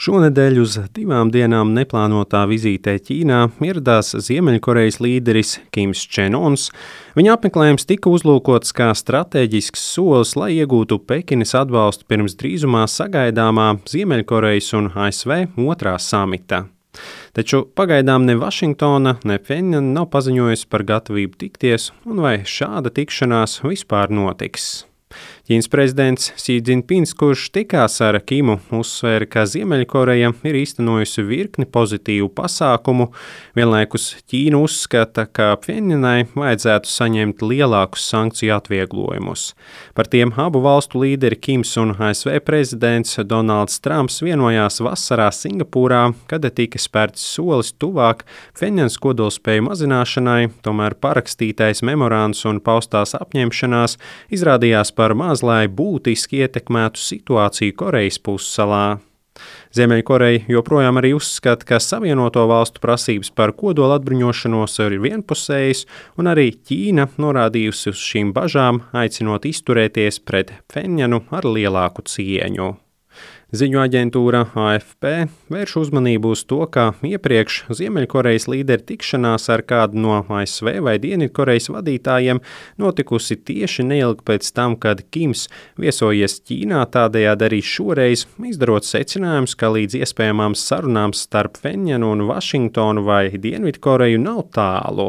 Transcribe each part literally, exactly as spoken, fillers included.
Šonedēļ uz divām dienām neplānotā vizītē Ķīnā ieradās Ziemeļkorejas līderis Kims Čen Uns. Viņa apmeklējums tika uzlūkots kā stratēģisks solis, lai iegūtu Pekinas atbalstu pirms drīzumā sagaidāmā Ziemeļkorejas un A S V otrā samita. Taču pagaidām ne Vašingtona, ne Pjenjana nav paziņojusi par gatavību tikties, un vai šāda tikšanās vispār notiks. Ķīnas prezidents Xi Jinpings, kurš tikās ar Kimu, uzsvēra, ka Ziemeļkoreja ir īstenojusi virkni pozitīvu pasākumu. Vienlaikus Ķīna uzskata, ka Pjenjanai vajadzētu saņemt lielākus sankciju atvieglojumus. Par tiem abu valstu līderi Kims un A S V prezidents Donalds Trumps vienojās vasarā Singapūrā, kad tika spērts solis tuvāk Pjenjanas kodolspēju mazināšanai, tomēr parakstītais memorands un paustās apņemšanās izrādījās par maz, lai būtiski ietekmētu situāciju Korejas pussalā. Ziemeļkoreja joprojām arī uzskata, ka Savienoto valstu prasības par kodola atbruņošanos ir vienpusējas, un arī Ķīna norādījusi uz šīm bažām, aicinot izturēties pret Pjenjanu ar lielāku cieņu. Ziņu aģentūra A F P vērš uzmanību uz to, ka iepriekš Ziemeļkorejas līderu tikšanās ar kādu no A S V vai Dienvidkorejas vadītājiem notikusi tieši neilgi pēc tam, kad Kims viesojies Ķīnā, tādējādi arī šoreiz izdarot secinājumus, ka līdz iespējamām sarunām starp Pjenjanu un Vašingtonu vai Dienvidkoreju nav tālu.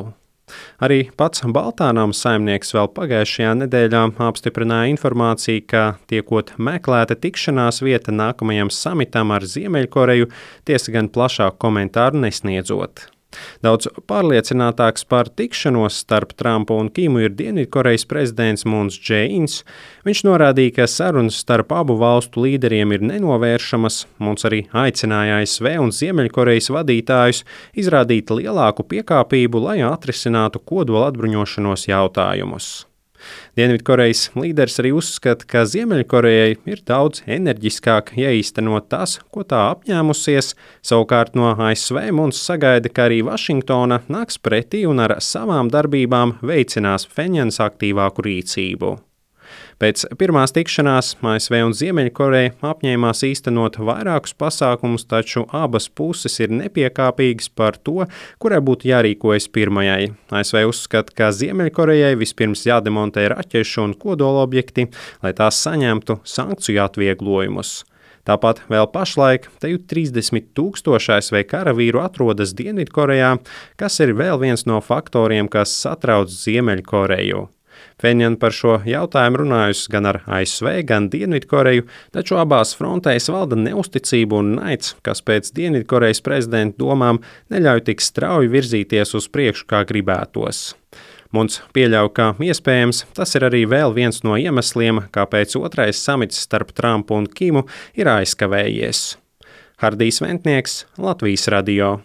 Arī pats Baltānams saimnieks vēl pagājušajā nedēļā apstiprināja informāciju, ka tiekot meklēta tikšanās vieta nākamajam samitam ar Ziemeļkoreju, tiesa gan plašāku komentāru nesniedzot. Daudz pārliecinātāks par tikšanos starp Trumpu un Kimu ir Dienvidkorejas prezidents Mūns Džeīns. Viņš norādīja, ka sarunas starp abu valstu līderiem ir nenovēršamas. Mūns arī aicināja A S V un Ziemeļkorejas vadītājus izrādīt lielāku piekāpību, lai atrisinātu kodola atbruņošanos jautājumus. Dienvidkorejas līderis arī uzskata, ka Ziemeļkorejai ir daudz enerģiskāk jāīstenot tas, ko tā apņēmusies. Savukārt no A S V mums sagaida, ka arī Vašingtona nāks pretī un ar savām darbībām veicinās Pjenjanas aktīvāku rīcību. Pēc pirmās tikšanās A S V un Ziemeļkoreja apņēmās īstenot vairākus pasākumus, taču abas puses ir nepiekāpīgas par to, kurai būtu jārīkojas pirmajai. A S V uzskata, ka Ziemeļkorejai vispirms jādemontē raķešu un kodolobjekti, lai tās saņemtu sankciju atvieglojumus. Tāpat vēl pašlaik te jau trīsdesmit tūkstoši A S V karavīru atrodas Dienvidkorejā, kas ir vēl viens no faktoriem, kas satrauc Ziemeļkoreju. Pjenjana par šo jautājumu runājusi gan ar A S V, gan Dienvidkoreju, taču abās frontēs valda neusticība un naids, kas pēc Dienvidkorejas prezidenta domām neļauj tik strauji virzīties uz priekšu, kā gribētos. Mums pieļauj, ka iespējams tas ir arī vēl viens no iemesliem, kāpēc otrais samits starp Trumpu un Kimu ir aizkavējies. Hardijs Ventnieks, Latvijas radio.